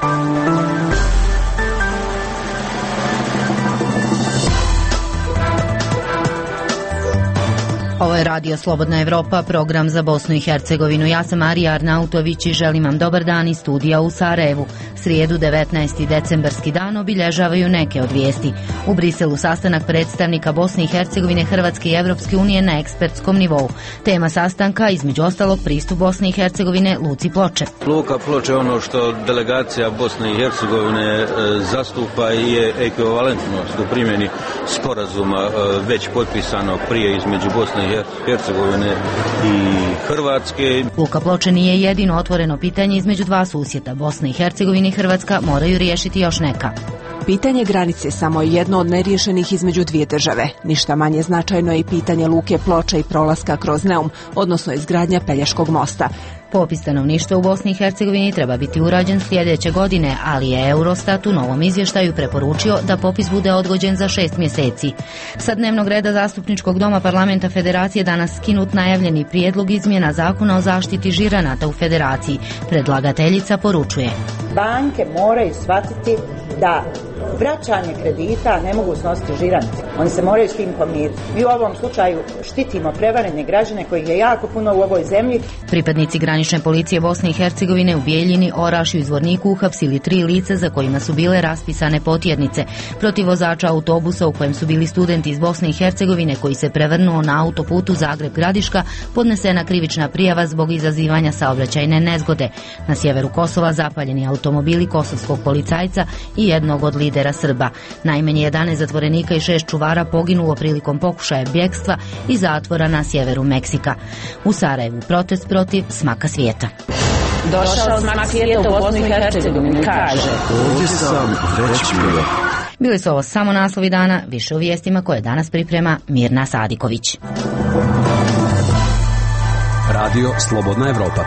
Ovo je Radio Slobodna Evropa, program za Bosnu i Hercegovinu. Ja sam Marija Arnautović i želim vam dobar dan iz studija u Sarajevu. Srijedu 19. decembarski dan obilježavaju neke od vijesti. U Briselu sastanak predstavnika Bosne i Hercegovine, Hrvatske i Evropske unije na ekspertskom nivou. Tema sastanka, između ostalog, pristup Bosne i Hercegovine Luci Ploče. Luka Ploče, ono što delegacija Bosne i Hercegovine zastupa, je ekvivalentnost u primjeni sporazuma već potpisanog prije između Bosne i Hercegovine i Hrvatske. Luka Ploče nije jedino otvoreno pitanje između dva susjeda. Bosna i Hercegovina i Hrvatska moraju riješiti još neka. Pitanje granice samo je jedno od neriješenih između dvije države. Ništa manje značajno je i pitanje Luke Ploče i prolaska kroz Neum, odnosno izgradnja Pelješkog mosta. Popis stanovništva u Bosni i Hercegovini treba biti urađen sljedeće godine, ali je Eurostat u novom izvještaju preporučio da popis bude odgođen za 6 mjeseci. Sa dnevnog reda Zastupničkog doma Parlamenta Federacije danas skinut najavljeni prijedlog izmjena Zakona o zaštiti žiranata u Federaciji. Predlagateljica poručuje: banke moraju shvatiti da vraćanje kredita ne mogu snositi žiranci. Oni se moraju s tim pomiriti. Mi u ovom slučaju štitimo prevarene građane kojih je jako puno u ovoj zemlji. Pripadnici granične policije Bosne i Hercegovine u Bijeljini, Orašju i Zvorniku uhapsili 3 lica za kojima su bile raspisane potjernice. Protiv vozača autobusa u kojem su bili studenti iz Bosne i Hercegovine koji se prevrnuo na autoputu Zagreb-Gradiška podnesena krivična prijava zbog izazivanja saobraćajne nezgode. Na sjeveru Kosova zapaljeni automobili kosovskog policajca i jednog od lidera Srba. Najmanje 11 zatvorenika i 6 čuvara poginulo prilikom pokušaja bjegstva iz zatvora na sjeveru Meksika. U Sarajevu protest protiv smaka svijeta. Došao smak svijeta u Bosnu i Hercegovinu, kaže: ovdje sam već bio. Bili su ovo samo naslovi dana, više u vijestima koje danas priprema Mirna Sadiković. Radio Slobodna Evropa.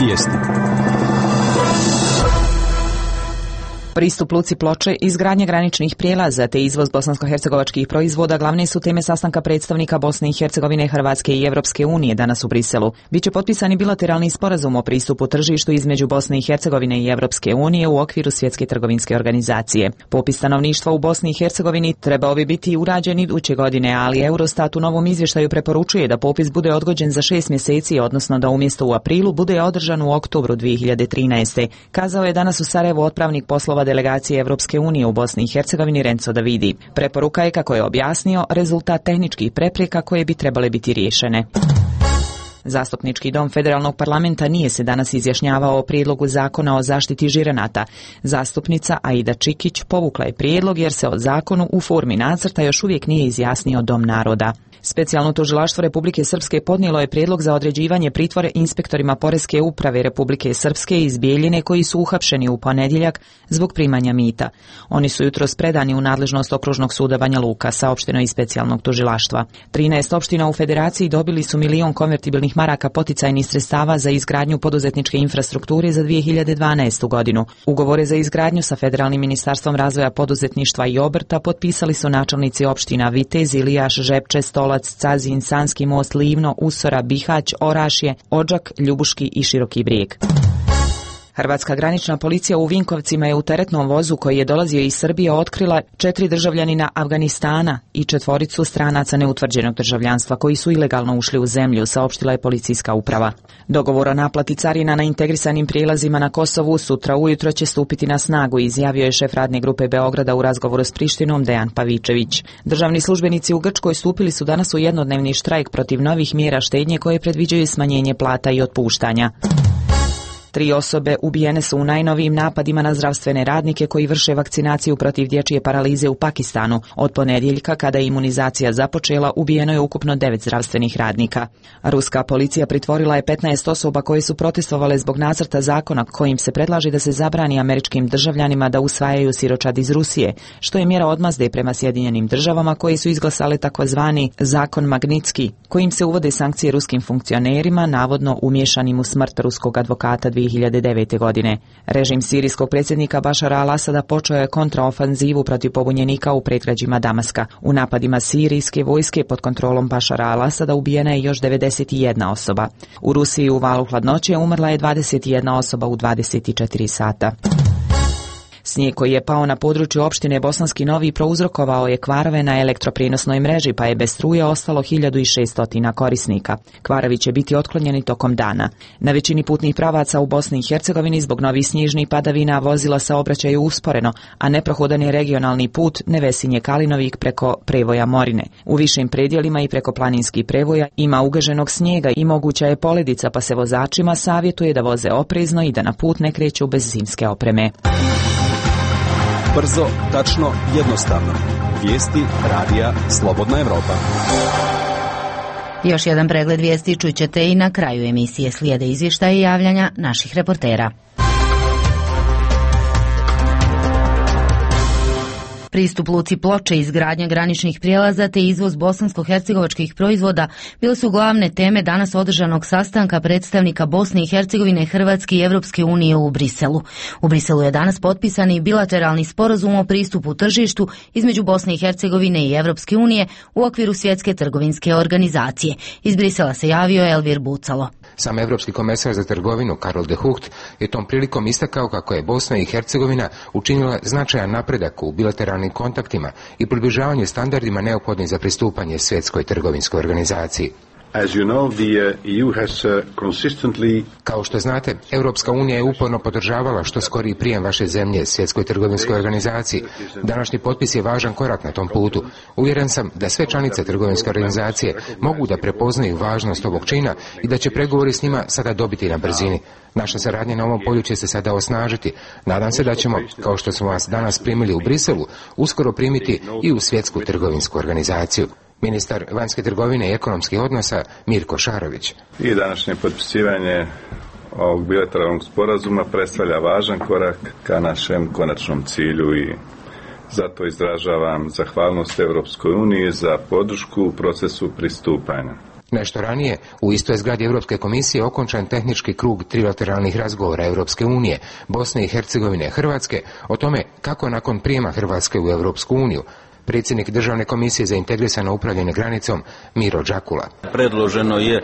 Vijesti. Pristup Luci Ploče, izgradnja graničnih prijelaza te izvoz bosansko-hercegovačkih proizvoda glavne su teme sastanka predstavnika Bosne i Hercegovine, Hrvatske i Evropske unije danas u Briselu. Biće potpisani bilateralni sporazum o pristupu tržištu između Bosne i Hercegovine i Evropske unije u okviru Svjetske trgovinske organizacije. Popis stanovništva u Bosni i Hercegovini trebao bi biti urađen iduće godine, ali Eurostat u novom izvještaju preporučuje da popis bude odgođen za 6 mjeseci, odnosno da umjesto u aprilu bude održan u oktobru 2013. Kazao je danas u Sarajevu otpravnik poslova delegacije Evropske unije u Bosni i Hercegovini Renzo Davidi. Preporuka je, kako je objasnio, rezultat tehničkih prepreka koje bi trebale biti riješene. Zastupnički dom Federalnog parlamenta nije se danas izjašnjavao o prijedlogu zakona o zaštiti žiranata. Zastupnica Aida Čikić povukla je prijedlog jer se o zakonu u formi nacrta još uvijek nije izjasnio Dom naroda. Specijalno tužilaštvo Republike Srpske podnijelo je prijedlog za određivanje pritvora inspektorima Poreske uprave Republike Srpske iz Bijeljine koji su uhapšeni u ponedjeljak zbog primanja mita. Oni su jutros predani u nadležnost Okružnog suda Banja Luka, saopšteno iz specijalnog tužilaštva. 13 opština u Federaciji dobili su 1 milion konvertibilnih maraka poticajnih sredstava za izgradnju poduzetničke infrastrukture za 2012. godinu. Ugovore za izgradnju sa Federalnim ministarstvom razvoja poduzetništva i obrta potpisali su načelnici opština Vitez, Ilijaš, Žepče, Stolac, Cazin, Sanski most, Livno, Usora, Bihać, Orašje, Odžak, Ljubuški i Široki Brijeg. Hrvatska granična policija u Vinkovcima je u teretnom vozu koji je dolazio iz Srbije otkrila 4 državljanina Afganistana i 4 stranaca neutvrđenog državljanstva koji su ilegalno ušli u zemlju, saopštila je policijska uprava. Dogovor o naplati carina na integrisanim prijelazima na Kosovu sutra ujutro će stupiti na snagu, izjavio je šef radne grupe Beograda u razgovoru s Prištinom Dejan Pavičević. Državni službenici u Grčkoj stupili su danas u jednodnevni štrajk protiv novih mjera štednje koje predviđaju smanjenje plata i otpuštanja. 3 osobe ubijene su u najnovijim napadima na zdravstvene radnike koji vrše vakcinaciju protiv dječje paralize u Pakistanu. Od ponedjeljka, kada je imunizacija započela, ubijeno je ukupno 9 zdravstvenih radnika. Ruska policija pritvorila je 15 osoba koje su protestovale zbog nacrta zakona kojim se predlaže da se zabrani američkim državljanima da usvajaju siročad iz Rusije, što je mjera odmazde prema Sjedinjenim državama koje su izglasale takozvani zakon Magnitski, kojim se uvode sankcije ruskim funkcionerima, navodno umješanim u smrt ruskog advokata 2009. godine. Režim sirijskog predsjednika Bašara al-Asada počeo je kontraofanzivu protiv pobunjenika u predgrađima Damaska. U napadima sirijske vojske pod kontrolom Bašara al-Asada ubijena je još 91 osoba. U Rusiji u valu hladnoće umrla je 21 osoba u 24 sata. Snijeg koji je pao na području opštine Bosanski Novi prouzrokovao je kvarove na elektroprijenosnoj mreži, pa je bez struje ostalo 1600 korisnika. Kvarovi će biti otklonjeni tokom dana. Na većini putnih pravaca u Bosni i Hercegovini zbog novih snježnih padavina vozila saobraćaju usporeno, a neprohodan je regionalni put Nevesinje-Kalinovik preko prevoja Morine. U višim predjelima i preko planinskih prevoja ima ugaženog snijega i moguća je poledica, pa se vozačima savjetuje da voze oprezno i da na put ne kreću bez zimske opreme. Brzo, tačno, jednostavno. Vijesti radija Slobodna Evropa. Još jedan pregled vijesti čućete i na kraju emisije. Slijede izvještaje i javljanja naših reportera. Pristup luci Ploče, izgradnja graničnih prijelaza te izvoz bosansko-hercegovačkih proizvoda bile su glavne teme danas održanog sastanka predstavnika Bosne i Hercegovine, Hrvatske i Europske unije u Briselu. U Briselu je danas potpisan i bilateralni sporazum o pristupu tržištu između Bosne i Hercegovine i Europske unije u okviru Svjetske trgovinske organizacije. Iz Brisela se javio Elvir Bucalo. Sam Europski komesar za trgovinu Karel de Hucht je tom prilikom istakao kako je Bosna i Hercegovina učinila značajan napredak u bilateralnim kontaktima i približavanju standardima neophodnim za pristupanje Svjetskoj trgovinskoj organizaciji. As you know, the EU has consistently... Kao što znate, Europska unija je uporno podržavala što skoriji prijem vaše zemlje Svjetskoj trgovinskoj organizaciji. Današnji potpis je važan korak na tom putu. Uvjeren sam da sve članice trgovinske organizacije mogu da prepoznaju važnost ovog čina i da će pregovori s njima sada dobiti na brzini. Naša saradnja na ovom polju će se sada osnažiti. Nadam se da ćemo, kao što smo vas danas primili u Briselu, uskoro primiti i u Svjetsku trgovinsku organizaciju. Ministar vanjske trgovine i ekonomskih odnosa Mirko Šarović. I današnje potpisivanje ovog bilateralnog sporazuma predstavlja važan korak ka našem konačnom cilju i zato izražavam zahvalnost Europskoj uniji za podršku u procesu pristupanja. Nešto ranije, u istoj zgradi Europske komisije okončan tehnički krug trilateralnih razgovora Europske unije, Bosne i Hercegovine i Hrvatske o tome kako nakon prijema Hrvatske u Europsku uniju. Predsjednik Državne komisije za integrisano upravljanje granicom Miro Đakula. Predloženo je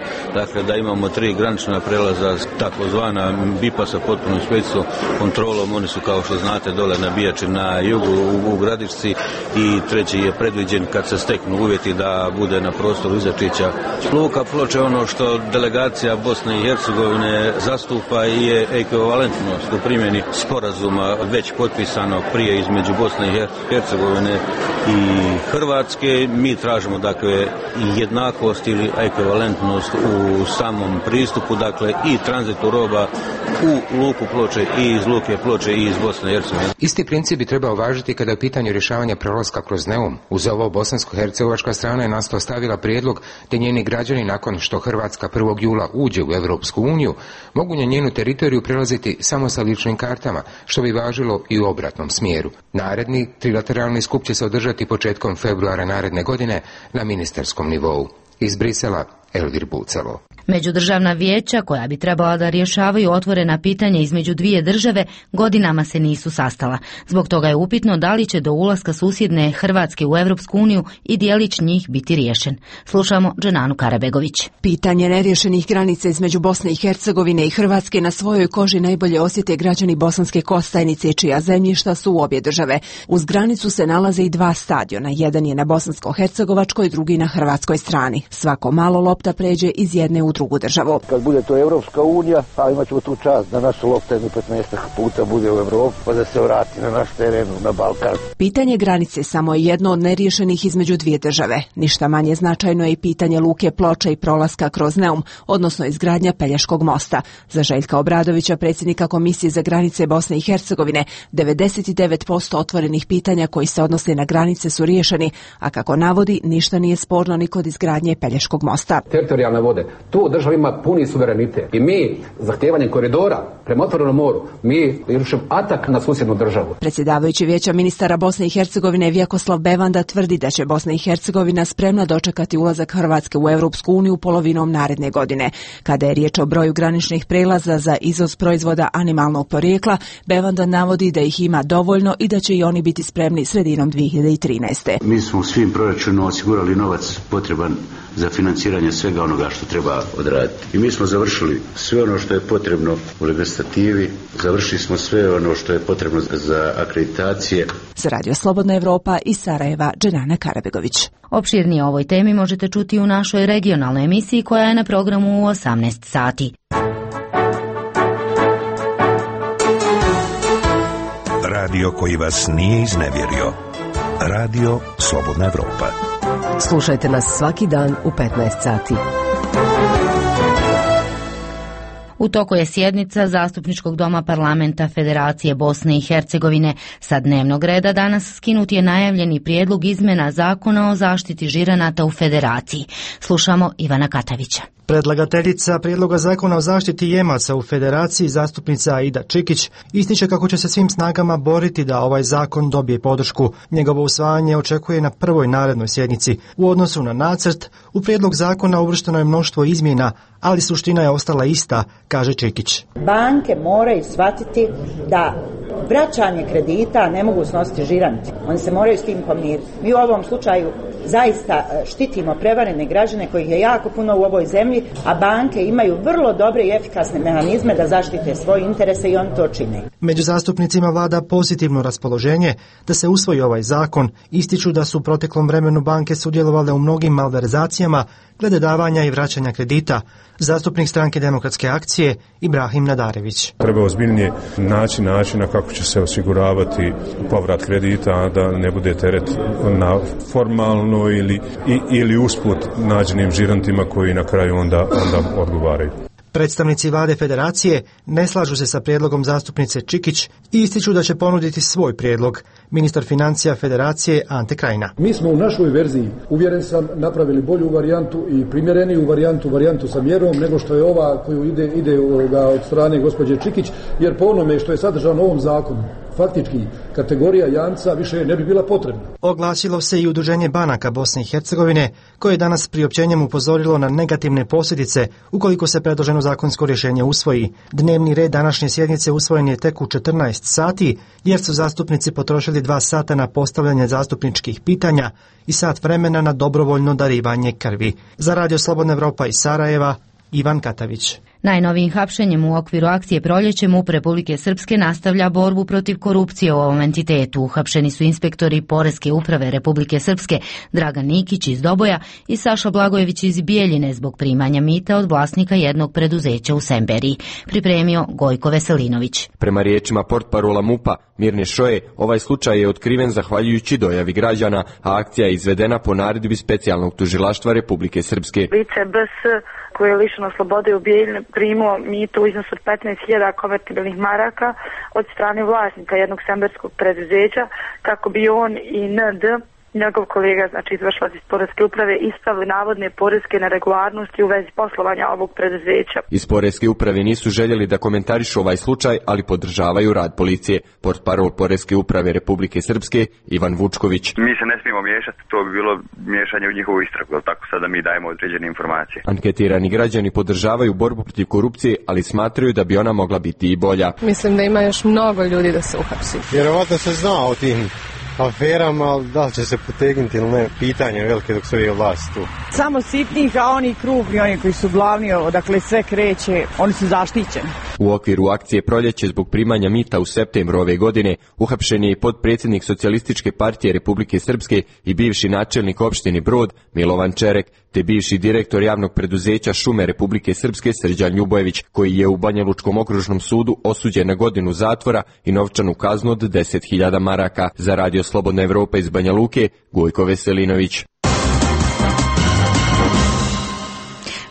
da imamo 3 granična prelaza, takozvana BIPA sa potpunom inspekcijskom kontrolom. Oni su, kao što znate, dole na Bijači na jugu u Gradišci i treći je predviđen kad se steknu uvjeti da bude na prostoru Izačića. Luka Ploče, ono što delegacija Bosne i Hercegovine zastupa je ekvivalentnost u primjeni sporazuma već potpisanog prije između Bosne i Hercegovine i Hrvatske. Mi tražimo jednakost ili ekvivalentnost u samom pristupu, i tranzitu roba u Luku Ploče i iz Luke Ploče i iz Bosne i Hercegovine. Isti princip bi trebao važiti kada je u pitanju rješavanja prelaska kroz Neum. Uz ovo bosansko-hercegovačka strana je nasto stavila prijedlog te njeni građani nakon što Hrvatska 1. jula uđe u Europsku uniju mogu na njenu teritoriju prelaziti samo sa ličnim kartama, što bi važilo i u obratnom smjeru. Naredni trilateralni skup će se održati početkom februara naredne godine na ministarskom nivou. Iz Brisela, Elvir Bucalo. Međudržavna vijeća, koja bi trebala da rješavaju otvorena pitanja između dvije države, godinama se nisu sastala. Zbog toga je upitno da li će do ulaska susjedne Hrvatske u Europsku uniju i dijelić njih biti riješen. Slušamo Dženanu Karabegović. Pitanje neriješenih granica između Bosne i Hercegovine i Hrvatske na svojoj koži najbolje osjete građani Bosanske Kostajnice, čija zemljišta su u obje države. Uz granicu se nalaze i 2 stadiona. Jedan je na bosansko-hercegovačkoj, drugi na hrvatskoj strani. Svako malo lopta pređe iz jedne u drugu državu. Kad bude to Europska unija, a imat ćemo tu čast da naša lopta 15 puta bude u Evropu, pa da se vrati na naš teren, na Balkan. Pitanje granice samo je jedno od neriješenih između dvije države. Ništa manje značajno je i pitanje Luke Ploče i prolaska kroz Neum, odnosno izgradnja Pelješkog mosta. Za Željka Obradovića, predsjednika Komisije za granice Bosne i Hercegovine, 99% otvorenih pitanja koji se odnose na granice su riješeni, a kako navodi, ništa nije sporno ni kod izgradnje Pelješkog mosta. Teritorijalne vode. Tu država ima puni suverenitet i mi zahtijevanjem koridora prema otvorenom moru, mi izvršimo atak na susjednu državu. Predsjedavajući Vijeća ministara Bosne i Hercegovine Vjekoslav Bevanda tvrdi da će Bosna i Hercegovina spremna dočekati ulazak Hrvatske u Europsku uniju polovinom naredne godine. Kada je riječ o broju graničnih prelaza za izvoz proizvoda animalnog porijekla, Bevanda navodi da ih ima dovoljno i da će i oni biti spremni sredinom 2013. Mi smo u svim proračunima osigurali novac potreban za financiranje svega onoga što treba odraditi. I mi smo završili sve ono što je potrebno u legislativi, završili smo sve ono što je potrebno za akreditacije. Za Radio Slobodna Evropa iz Sarajeva, Dženana Karabegović. Opširnije o ovoj temi možete čuti u našoj regionalnoj emisiji koja je na programu u 18 sati. Radio koji vas nije iznevjerio. Radio Slobodna Evropa. Slušajte nas svaki dan u 15 sati. U toku je sjednica Zastupničkog doma Parlamenta Federacije Bosne i Hercegovine. Sa dnevnog reda danas skinut je najavljeni prijedlog izmjena Zakona o zaštiti žiranata u Federaciji. Slušamo Ivana Katavića. Predlagateljica prijedloga zakona o zaštiti jemaca u Federaciji, zastupnica Aida Čikić, ističe kako će se svim snagama boriti da ovaj zakon dobije podršku. Njegovo usvajanje očekuje na prvoj narednoj sjednici. U odnosu na nacrt, u prijedlog zakona uvršteno je mnoštvo izmjena, ali suština je ostala ista, kaže Čikić. Banke moraju shvatiti da vraćanje kredita ne mogu snositi žiranci. Oni se moraju s tim pomiriti. Mi u ovom slučaju zaista štitimo prevarene građane kojih je jako puno u ovoj zemlji, a banke imaju vrlo dobre i efikasne mehanizme da zaštite svoje interese i oni to čine. Među zastupnicima vlada pozitivno raspoloženje da se usvoji ovaj zakon. Ističu da su u proteklom vremenu banke sudjelovale u mnogim malverzacijama glede davanja i vraćanja kredita. Zastupnik Stranke demokratske akcije Ibrahim Nadarević. Treba ozbiljnije načina kako će se osiguravati povrat kredita, a da ne bude teret na formalno ili usput nađenim žirantima koji na kraju onda odgovaraju. Predstavnici vlade Federacije ne slažu se sa prijedlogom zastupnice Čikić i ističu da će ponuditi svoj prijedlog. Ministar financija Federacije Ante Krajina. Mi smo u našoj verziji, uvjeren sam, napravili bolju varijantu i primjereniju varijantu sa mjerom nego što je ova koju ide od strane gospođe Čikić, jer po onome što je sadržano u ovom zakonu, faktički kategorija jamca više ne bi bila potrebna. Oglasilo se i Udruženje banaka Bosne i Hercegovine, koje je danas priopćenjem upozorilo na negativne posljedice ukoliko se predloženo zakonsko rješenje usvoji. Dnevni red današnje sjednice usvojen je tek u 14 sati, jer su zastupnici potrošili 2 sata na postavljanje zastupničkih pitanja i sat vremena na dobrovoljno darivanje krvi. Za Radio Slobodna Evropa iz Sarajeva, Ivan Katavić. Najnovijim hapšenjem u okviru akcije Proljeće MUP Republike Srpske nastavlja borbu protiv korupcije u ovom entitetu. Uhapšeni su inspektori Poreske uprave Republike Srpske Dragan Nikić iz Doboja i Saša Blagojević iz Bijeljine zbog primanja mita od vlasnika jednog preduzeća u Semberiji. Pripremio Gojko Veselinović. Prema riječima portparola MUP-a Mirne Šoje, ovaj slučaj je otkriven zahvaljujući dojavi građana, a akcija je izvedena po naredbi specijalnog tužilaštva Republike Srpske. Lice BS koje je lišeno slobode u Bijeljini primio mito u iznosu od 15.000 konvertibilnih maraka od strane vlasnika jednog semberskog preduzeća kako bi on i ND, njegov kolega, znači izvršilac iz Poreske uprave, ispravili navodne poreske neregularnosti u vezi poslovanja ovog preduzeća. Iz Poreske uprave nisu željeli da komentarišu ovaj slučaj, ali podržavaju rad policije. Portparol Poreske uprave Republike Srpske Ivan Vučković. Mi se ne smijemo miješati, to bi bilo miješanje u njihovu istragu, tako sada mi dajemo određene informacije. Anketirani građani podržavaju borbu protiv korupcije, ali smatraju da bi ona mogla biti i bolja. Mislim da ima još mnogo ljudi da se uhapsi. Vjerovatno se zna o tim aferama, ali da li će se potegnuti ili ne, pitanje velike dok sve je vlast tu. Samo sitnih, a oni krupni, oni koji su glavni, odakle sve kreće, oni su zaštićeni. U okviru akcije Proljeće zbog primanja mita u septembru ove godine uhapšen je i potpredsjednik Socijalističke partije Republike Srpske i bivši načelnik opštine Brod Milovan Čerek, te bivši direktor javnog preduzeća Šume Republike Srpske Srđan Ljubojević, koji je u Banjalučkom okružnom sudu osuđen na godinu zatvora i novčanu kaznu od 10.000 maraka. Za Radio Slobodna Evropa iz Banja Luke, Gojko Veselinović.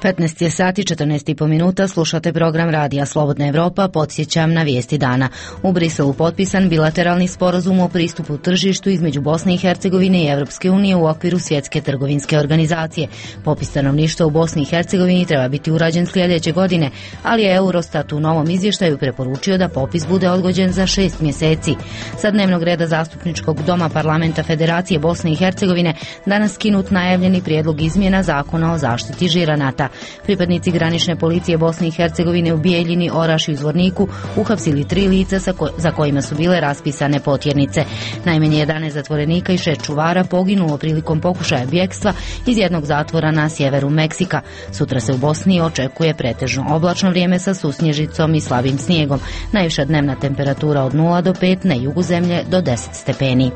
15 je sati 14,5 minuta, slušate program Radija Slobodna Evropa, podsjećam na vijesti dana. U Briselu potpisan bilateralni sporazum o pristupu tržištu između Bosne i Hercegovine i Evropske unije u okviru Svjetske trgovinske organizacije. Popis stanovništva u Bosni i Hercegovini treba biti urađen sljedeće godine, ali je Eurostat u novom izvještaju preporučio da popis bude odgođen za 6 mjeseci. Sa dnevnog reda Zastupničkog doma Parlamenta Federacije Bosne i Hercegovine danas skinut najavljeni prijedlog izmjena Zakona o zaštiti žiranata. Pripadnici granične policije Bosne i Hercegovine u Bijeljini, Orašju i Zvorniku uhapsili 3 lica za kojima su bile raspisane potjernice. Najmanje 11 zatvorenika i 6 čuvara poginulo prilikom pokušaja bjegstva iz jednog zatvora na sjeveru Meksika. Sutra se u Bosni očekuje pretežno oblačno vrijeme sa susnježicom i slabim snijegom. Najviša dnevna temperatura od 0 do 5, na jugu zemlje do 10 stepeni.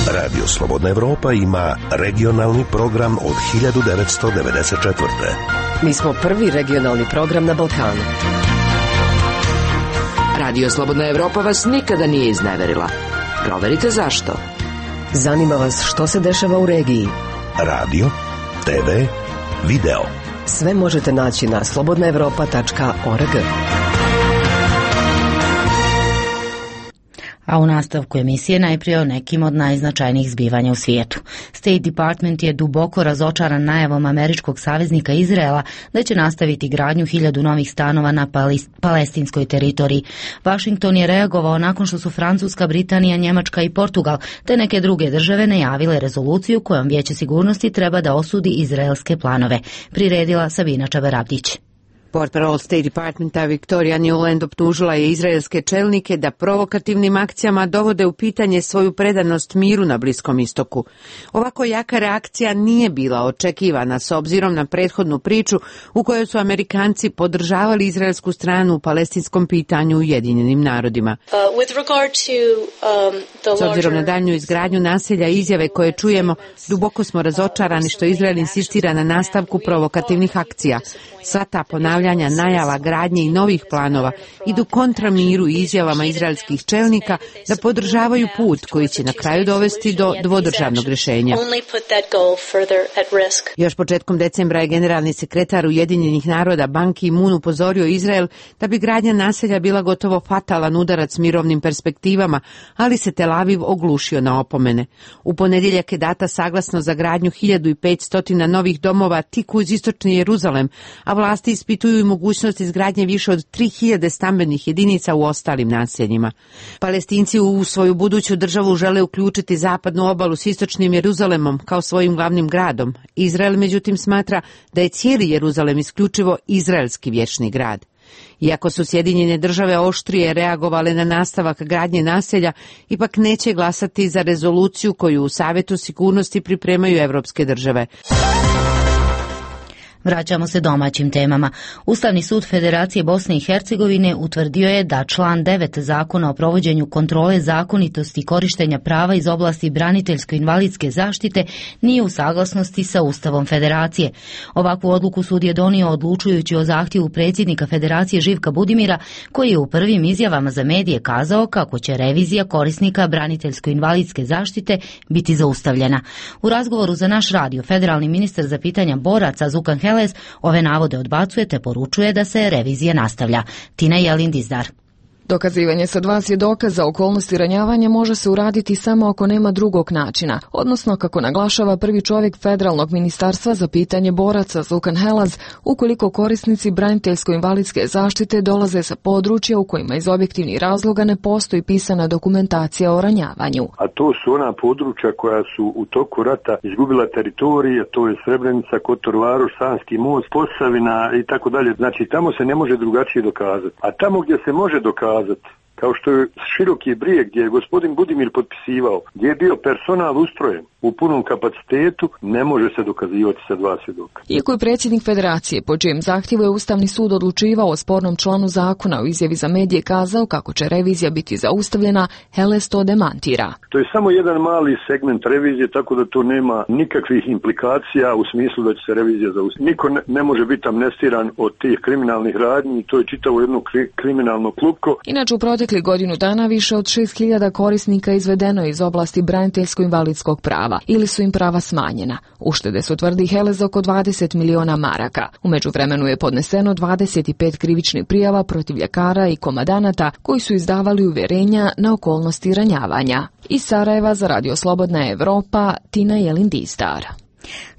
Radio Slobodna Evropa ima regionalni program od 1994. Mi smo prvi regionalni program na Balkanu. Radio Slobodna Evropa vas nikada nije izneverila. Proverite zašto. Zanima vas što se dešava u regiji. Radio, TV, video. Sve možete naći na slobodnaevropa.org. A u nastavku emisije najprije o nekim od najznačajnijih zbivanja u svijetu. State Department je duboko razočaran najavom američkog saveznika Izraela da će nastaviti gradnju 1000 novih stanova na palestinskoj teritoriji. Washington je reagovao nakon što su Francuska, Britanija, Njemačka i Portugal te neke druge države najavile rezoluciju kojom Vijeće sigurnosti treba da osudi izraelske planove. Priredila Sabina Čabarabdić. Portparol State Departmenta Victoria Newland optužila je izraelske čelnike da provokativnim akcijama dovode u pitanje svoju predanost miru na Bliskom istoku. Ovako jaka reakcija nije bila očekivana s obzirom na prethodnu priču u kojoj su Amerikanci podržavali izraelsku stranu u palestinskom pitanju Ujedinjenim narodima. S obzirom na daljnju izgradnju naselja i izjave koje čujemo, duboko smo razočarani što Izrael insistira na nastavku provokativnih akcija. Sva ta ponavljanja najava gradnje i novih planova idu kontra miru i izjavama izraelskih čelnika da podržavaju put koji će na kraju dovesti do dvodržavnog rješenja. Još početkom decembra je generalni sekretar Ujedinjenih naroda Ban Ki-moon upozorio Izrael da bi gradnja naselja bila gotovo fatalan udarac mirovnim perspektivama, ali se Tel Aviv oglušio na opomene. U ponedjeljak je data saglasnost za gradnju 1500 novih domova tik uz istočni Jeruzalem, a vlasti ispituju i mogućnost izgradnje više od 3000 stambenih jedinica u ostalim naseljima. Palestinci u svoju buduću državu žele uključiti zapadnu obalu s istočnim Jeruzalemom kao svojim glavnim gradom. Izrael međutim smatra da je cijeli Jeruzalem isključivo izraelski vječni grad. Iako su Sjedinjene države oštrije reagovale na nastavak gradnje naselja, ipak neće glasati za rezoluciju koju u Savjetu sigurnosti pripremaju evropske države. Vraćamo se domaćim temama. Ustavni sud Federacije Bosne i Hercegovine utvrdio je da član 9 Zakona o provođenju kontrole zakonitosti korištenja prava iz oblasti braniteljsko-invalidske zaštite nije u saglasnosti sa Ustavom Federacije. Ovakvu odluku sud je donio odlučujući o zahtjevu predsjednika Federacije Živka Budimira, koji je u prvim izjavama za medije kazao kako će revizija korisnika braniteljsko-invalidske zaštite biti zaustavljena. U razgovoru za naš radio federalni ministar za pitanja boraca Zukan Heles ove navode odbacuje te poručuje da se revizija nastavlja. Tina Jelin-Dizdar. Dokazivanje sa 2 svjedoka za okolnosti ranjavanja može se uraditi samo ako nema drugog načina, odnosno kako naglašava prvi čovjek Federalnog ministarstva za pitanje boraca Zukan Helaz, ukoliko korisnici braniteljsko-invalidske zaštite dolaze sa područja u kojima iz objektivnih razloga ne postoji pisana dokumentacija o ranjavanju. A to su ona područja koja su u toku rata izgubila teritorije, to je Srebrenica, Kotor Varoš, Sanski most, Posavina i tako dalje. Znači tamo se ne može drugačije dokazati. A tamo gdje se može dokazati, kao što je Široki Brijeg gdje je gospodin Budimir potpisivao, gdje je bio personal ustrojen u punom kapacitetu, ne može se dokazivati sa 2 svjedoka. Iako je predsjednik Federacije, po čijem zahtjevu je Ustavni sud odlučivao o spornom članu zakona, u izjavi za medije kazao kako će revizija biti zaustavljena, Heles to demantira. To je samo jedan mali segment revizije, tako da to nema nikakvih implikacija u smislu da će se revizija zaustaviti. Niko ne može biti amnestiran od tih kriminalnih radnji, to je čitavo jedno kriminalno klupko. Inače, u proteklih godinu dana više od 6000 korisnika izvedeno iz oblasti braniteljsko-invalidskog prava ili su im prava smanjena. Uštede su, tvrdi Helez, oko 20 miliona maraka. U međuvremenu je podneseno 25 krivičnih prijava protiv ljekara i komadanata koji su izdavali uvjerenja na okolnosti ranjavanja. Iz Sarajeva za Radio Slobodna Evropa, Tina Jelin-Dizdar.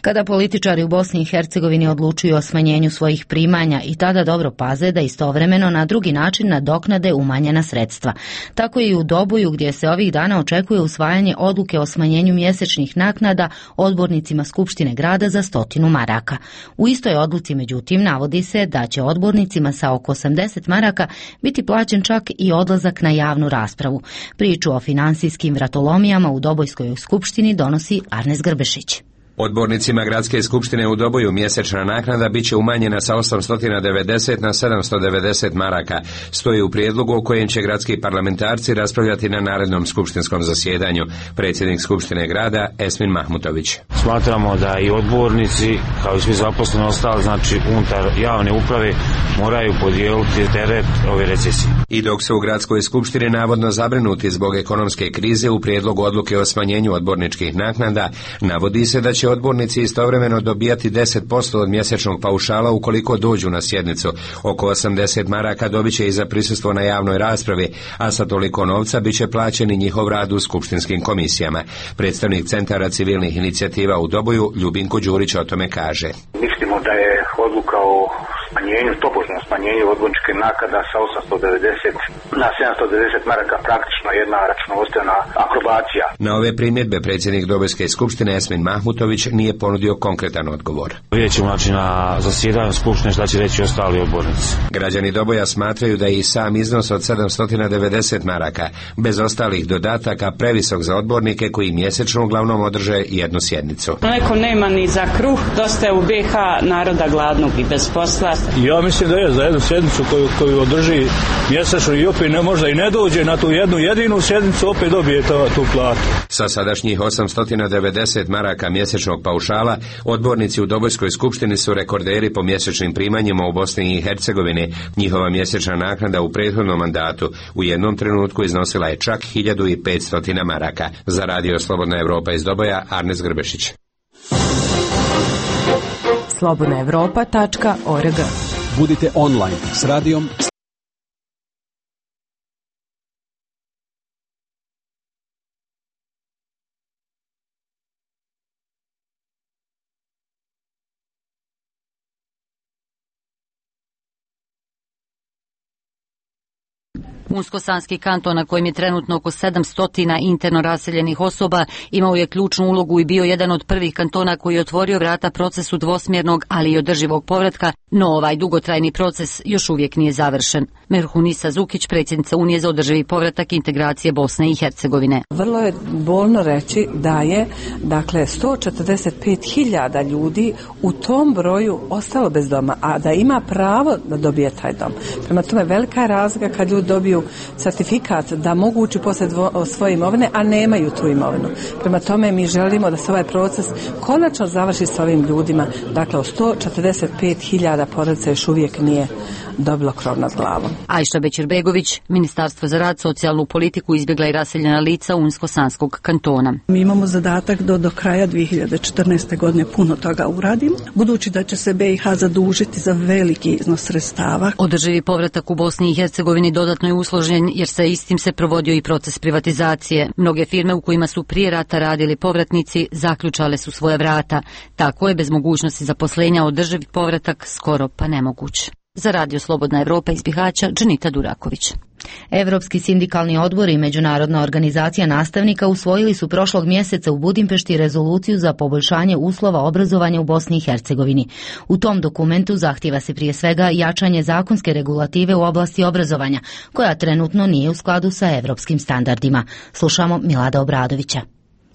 Kada političari u Bosni i Hercegovini odlučuju o smanjenju svojih primanja i tada dobro paze da istovremeno na drugi način nadoknade umanjena sredstva. Tako i u Doboju gdje se ovih dana očekuje usvajanje odluke o smanjenju mjesečnih naknada odbornicima Skupštine grada za 100 maraka. U istoj odluci međutim navodi se da će odbornicima sa oko 80 maraka biti plaćen čak i odlazak na javnu raspravu. Priču o finansijskim vratolomijama u Dobojskoj skupštini donosi Arnes Grbešić. Odbornicima Gradske skupštine u Doboju mjesečna naknada bit će umanjena sa 890 na 790 maraka. Stoji u prijedlogu o kojem će gradski parlamentarci raspravljati na narednom skupštinskom zasjedanju. Predsjednik Skupštine grada Esmin Mahmutović. Smatramo da i odbornici, kao i svi zaposleni ostali, znači unutar javne uprave, moraju podijeliti teret ove recesije. I dok se u Gradskoj skupštini navodno zabrinuti zbog ekonomske krize, u prijedlogu odluke o smanjenju odborničkih naknada navodi se da će odbornici istovremeno dobijati 10% od mjesečnog paušala ukoliko dođu na sjednicu. Oko 80 maraka dobit će i za prisustvo na javnoj raspravi, a sa toliko novca bit će plaćeni njihov rad u skupštinskim komisijama. Predstavnik Centara civilnih inicijativa u Doboju, Ljubinko Đurić, o tome kaže. Mislimo da je odluka o smanjenju, tobožnom smanjenju odborničke naknada sa 890 na 790 maraka praktično jedna računovodstvena akrobacija. Na ove primjedbe predsjednik Dobojske skupštine Esmin Mahmutović nije ponudio konkretan odgovor. Vidjet ćemo znači na zasjedanju skupštine šta će reći ostali odbornici. Građani Doboja smatraju da je i sam iznos od 790 maraka, bez ostalih dodataka, previsok za odbornike koji mjesečno uglavnom održe jednu sjednicu. Neko nema ni za kruh, dosta je u BiH naroda gladnog i bez posla. Ja mislim da je za jednu sjednicu koju održi mjesečno i opet možda i ne dođe na tu jednu jedinu sjednicu, opet dobije tu platu. Sa sadašnjih 890 maraka mjesečnog paušala, odbornici u Dobojskoj skupštini su rekorderi po mjesečnim primanjima u Bosni i Hercegovini. Njihova mjesečna naknada u prethodnom mandatu u jednom trenutku iznosila je čak 1500 maraka. Za Radio Slobodna Evropa iz Doboja, Arnes Grbešić. slobodnaevropa.org. Budite online s radijom. Unsko-Sanski kanton, na kojem je trenutno oko 700 interno raseljenih osoba, imao je ključnu ulogu i bio jedan od prvih kantona koji je otvorio vrata procesu dvosmjernog, ali i održivog povratka, no ovaj dugotrajni proces još uvijek nije završen. Merhunisa Zukić, predsjednica Unije za održivi povratak i integracije Bosne i Hercegovine. Vrlo je bolno reći da je 145.000 ljudi u tom broju ostalo bez doma, a da ima pravo da dobije taj dom. Prema tome velika je razlika kad ljudi dobiju certifikat da mogu ući posjed svoje imovine, a nemaju tu imovinu. Prema tome mi želimo da se ovaj proces konačno završi s ovim ljudima. Dakle, o 145.000 porodica još uvijek nije dobilo krov nad glavom. Ajša Bećirbegović, Ministarstvo za rad, socijalnu politiku, izbjegla i raseljena lica Unsko-Sanskog kantona. Mi imamo zadatak do kraja 2014. godine puno toga uradimo, budući da će se BiH zadužiti za veliki iznos sredstava. Održivi povratak u Bosni i Hercegovini dodatno je usložen jer sa istim se provodio i proces privatizacije. Mnoge firme u kojima su prije rata radili povratnici zaključale su svoja vrata. Tako je bez mogućnosti zaposlenja održivi povratak skoro pa nemoguć. Za Radio Slobodna Evropa iz Bihaća, Dženita Duraković. Evropski sindikalni odbor i Međunarodna organizacija nastavnika usvojili su prošlog mjeseca u Budimpešti rezoluciju za poboljšanje uslova obrazovanja u Bosni i Hercegovini. U tom dokumentu zahtijeva se prije svega jačanje zakonske regulative u oblasti obrazovanja, koja trenutno nije u skladu sa evropskim standardima. Slušamo Milada Obradovića.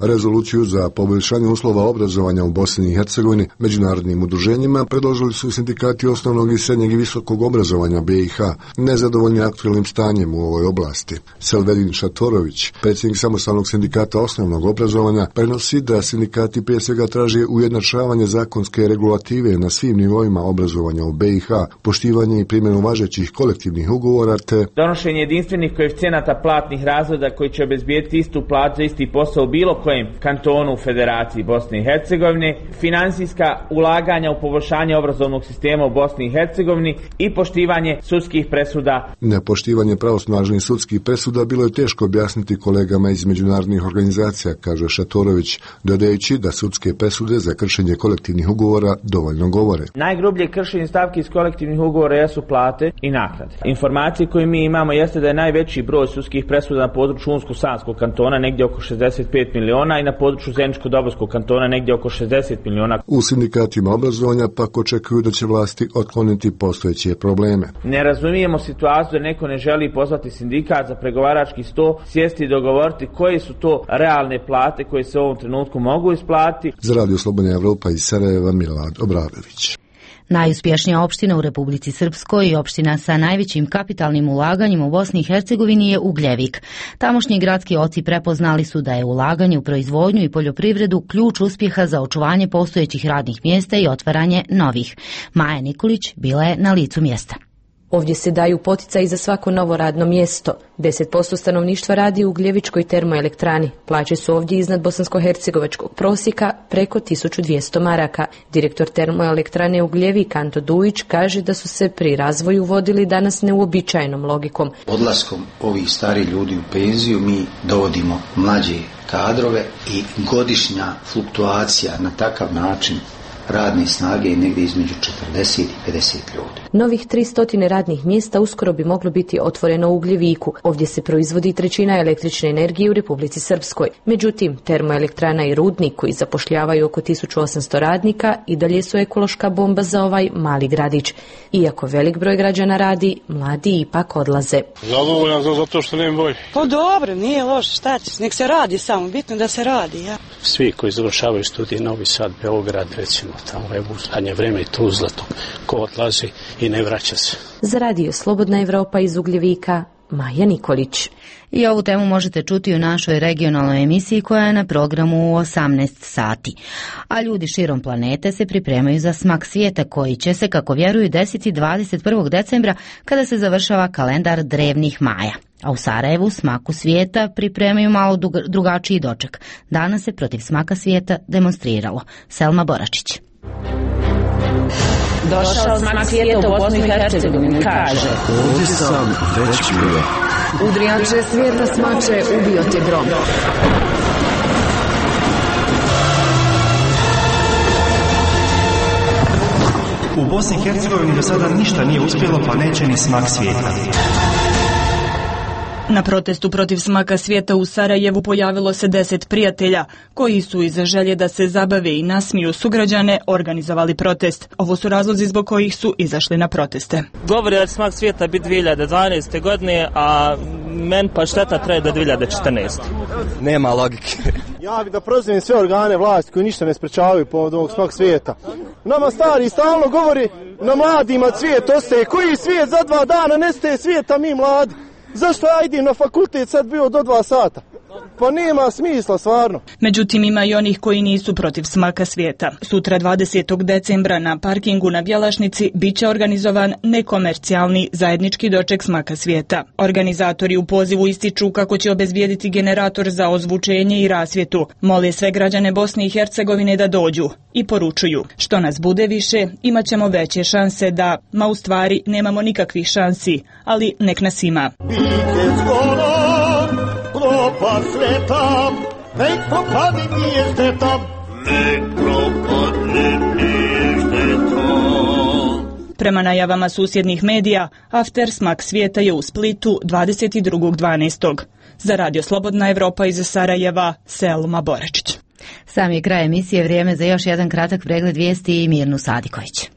Rezoluciju za poboljšanje uslova obrazovanja u Bosni i Hercegovini međunarodnim udruženjima predložili su sindikati osnovnog i srednjeg i visokog obrazovanja BiH, nezadovoljni aktualnim stanjem u ovoj oblasti. Selvedin Šatorović, predsjednik samostalnog sindikata osnovnog obrazovanja, prenosi da sindikati prije svega traže ujednačavanje zakonske regulative na svim nivoima obrazovanja u BiH, poštivanje i primjenu važećih kolektivnih ugovora te donošenje jedinstvenih koeficijenata platnih razreda koji će obezbijeti istu platu za isti posao u bilo kojem kantonu u Federaciji Bosne i Hercegovine, finansijska ulaganja u poboljšanje obrazovnog sistema u Bosni i Hercegovini i poštivanje sudskih presuda. Nepoštivanje pravosnažnih sudskih presuda bilo je teško objasniti kolegama iz međunarodnih organizacija, kaže Šatorović, dodajući da sudske presude za kršenje kolektivnih ugovora dovoljno govore. Najgrublje kršenje stavki iz kolektivnih ugovora jesu plate i naknade. Informacije koje mi imamo jeste da je najveći broj sudskih presuda na području Unsko-Sanskog kantona negdje oko 65 miliona i na području Zeničko-Dobojskog kantona negdje oko 60 miliona. U sindikatima obrazovanja pak očekuju da će vlasti otkloniti postojeće probleme. Ne razumijemo situaciju da neko ne želi pozvati sindikat za pregovarački sto, sjesti i dogovoriti koje su to realne plate koje se u ovom trenutku mogu isplatiti. Za Radio Slobodna Evropa iz Sarajeva, Milad Obradović. Najuspješnija opština u Republici Srpskoj i opština sa najvećim kapitalnim ulaganjima u Bosni i Hercegovini je Ugljevik. Tamošnji gradski oci prepoznali su da je ulaganje u proizvodnju i poljoprivredu ključ uspjeha za očuvanje postojećih radnih mjesta i otvaranje novih. Maja Nikolić bila je na licu mjesta. Ovdje se daju poticaji za svako novo radno mjesto. 10% stanovništva radi u Ugljevičkoj termoelektrani. Plaće su ovdje iznad bosansko-hercegovačkog prosjeka, preko 1200 maraka. Direktor termoelektrane Ugljevik Anto Dujić kaže da su se pri razvoju vodili danas neuobičajenom logikom. Odlaskom ovih stari ljudi u penziju mi dovodimo mlađe kadrove i godišnja fluktuacija na takav način radne snage je negdje između 40 i 50 ljudi. Novih 300 radnih mjesta uskoro bi moglo biti otvoreno u Ugljeviku. Ovdje se proizvodi 1/3 električne energije u Republici Srpskoj. Međutim, termoelektrana i rudnik koji zapošljavaju oko 1800 radnika i dalje su ekološka bomba za ovaj mali gradić. Iako velik broj građana radi, mladi ipak odlaze. Zadovoljan zato što nema bolje. Pa dobro, nije loše, šta će, nek se radi samo, bitno da se radi. Ja. Svi koji završavaju studije Novi Sad, Beograd, recimo, tamo evo u zadnje vrijeme i Tuzla, ko odlazi i ne vraća se. Za Radio Slobodna Evropa iz Ugljevika, Maja Nikolić. I ovu temu možete čuti u našoj regionalnoj emisiji koja je na programu u 18 sati. A ljudi širom planete se pripremaju za smak svijeta koji će se, kako vjeruju, desiti 21. decembra kada se završava kalendar drevnih Maja. A u Sarajevu smaku svijeta pripremaju malo drugačiji doček. Danas se protiv smaka svijeta demonstriralo. Selma Boračić. Došao smak svijeta u Bosni i Hercegovini, kaže. Ovdje sam već bio. Udrijače svijeta smače, ubio te grom. U Bosni i Hercegovini do sada ništa nije uspjelo, pa neće ni smak svijeta. Na protestu protiv smaka svijeta u Sarajevu pojavilo se 10 prijatelja koji su iz želje da se zabave i nasmiju sugrađane organizovali protest. Ovo su razlozi zbog kojih su izašli na proteste. Govori da će smak svijeta biti 2012. godine, a men pa šteta traje do 2014. Nema logike. Ja bih da prozivim sve organe vlasti koji ništa ne sprečavaju povodom ovog smak svijeta. Nama stari stalno govori na mladima cvijet ostaje. Koji svijet za 2 dana nestaje svijeta mi mladi? Zašto ja idem na fakultet sad bio do 2 sata? Pa nema smisla, stvarno. Međutim, ima i onih koji nisu protiv smaka svijeta. Sutra 20. decembra na parkingu na Bjelašnici bit će organizovan nekomercijalni zajednički doček smaka svijeta. Organizatori u pozivu ističu kako će obezbijediti generator za ozvučenje i rasvjetu. Mole sve građane Bosne i Hercegovine da dođu i poručuju: što nas bude više, imat ćemo veće šanse da, u stvari, nemamo nikakvih šansi, ali nek nas ima. Propad sveta, nek propadi nije šteta, nek propadi nije šteta. Prema najavama susjednih medija, after smak svijeta je u Splitu 22.12. Za Radio Slobodna Evropa iz Sarajeva, Selma Boračić. Sam je kraj emisije, vrijeme za još jedan kratak pregled vijesti i Mirnu Sadiković.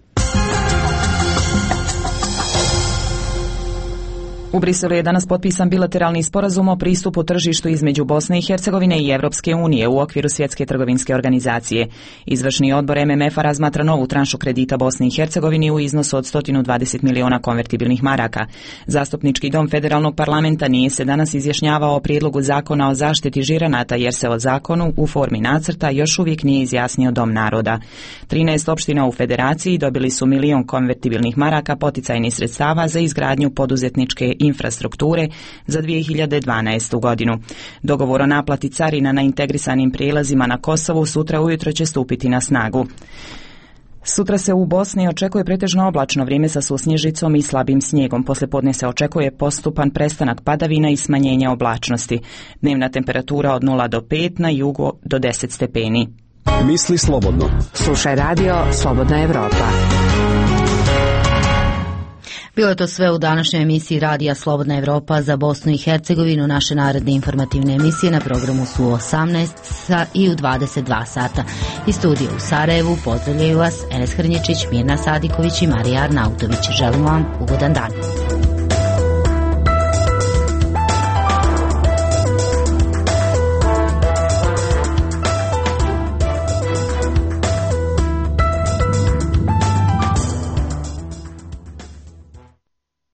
U Briselu je danas potpisan bilateralni sporazum o pristupu tržištu između Bosne i Hercegovine i Europske unije u okviru Svjetske trgovinske organizacije. Izvršni odbor MMF-a razmatra novu tranšu kredita Bosni i Hercegovini u iznosu od 120 miliona konvertibilnih maraka. Zastupnički dom federalnog parlamenta nije se danas izjašnjavao o prijedlogu zakona o zaštiti žiranata jer se o zakonu u formi nacrta još uvijek nije izjasnio Dom naroda. 13 opština u federaciji dobili su milion konvertibilnih maraka poticajnih sredstava za izgradnju poduzetničke infrastrukture za 2012. godinu. Dogovor o naplati carina na integrisanim prijelazima na Kosovu sutra ujutro će stupiti na snagu. Sutra se u Bosni očekuje pretežno oblačno vrijeme sa susnježicom i slabim snijegom. Poslijepodne se očekuje postupan prestanak padavina i smanjenje oblačnosti. Dnevna temperatura od 0 do 5, na jugu do 10 stepeni. Misli slobodno. Slušaj radio Slobodna Evropa. Bilo je to sve u današnjoj emisiji Radija Slobodna Evropa za Bosnu i Hercegovinu. Naše naredne informativne emisije na programu su u 18 i u 22 sata. Iz studija u Sarajevu pozdravljaju vas Enes Hrnječić, Mirna Sadiković i Marija Arnautović. Želimo vam ugodan dan.